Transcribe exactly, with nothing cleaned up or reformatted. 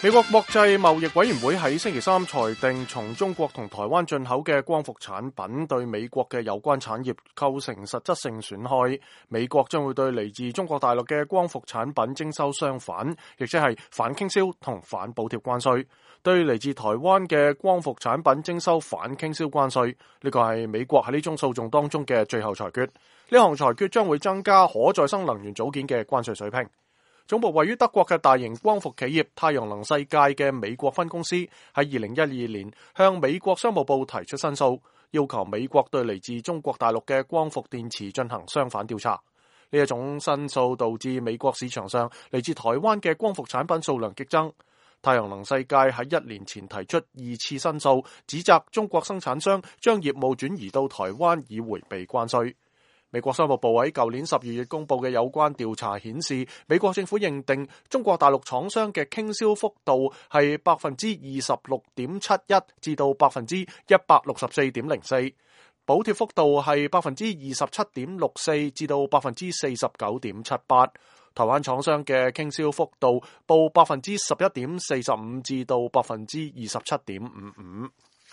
美國國際貿易委員會喺星期三裁定，從中國同台灣進口嘅光伏產品對美國嘅有關產業構成實質性損害。美國將會對嚟自中國大陸嘅光伏產品徵收雙反，亦即係反傾銷同反補貼關稅。對嚟自台灣嘅光伏產品徵收反傾銷關稅，呢個係美國喺呢宗訴訟當中嘅最後裁決。呢項裁決將會增加可再生能源組件嘅關稅水平。總部位於德國嘅大型光伏企業太陽能世界嘅美國分公司喺二零一二年向美國商務部提出申訴，要求美國對嚟自中國大陸嘅光伏電池進行相反調查。呢一種申訴導致美國市場上嚟自台灣嘅光伏產品數量激增。太陽能世界喺一年前提出二次申訴，指責中國生產商將業務轉移到台灣以迴避關稅。美國商務部喺舊年十二月公布嘅有關調查顯示，美國政府認定中國大陸廠商嘅傾銷幅度係百分之二十六點七一至到百分之一百六十四點零四，補貼幅度係百分之二十七點六四至到百分之四十九點七八。台灣廠商嘅傾銷幅度報百分之十一點四十五至到百分之二十七點五五。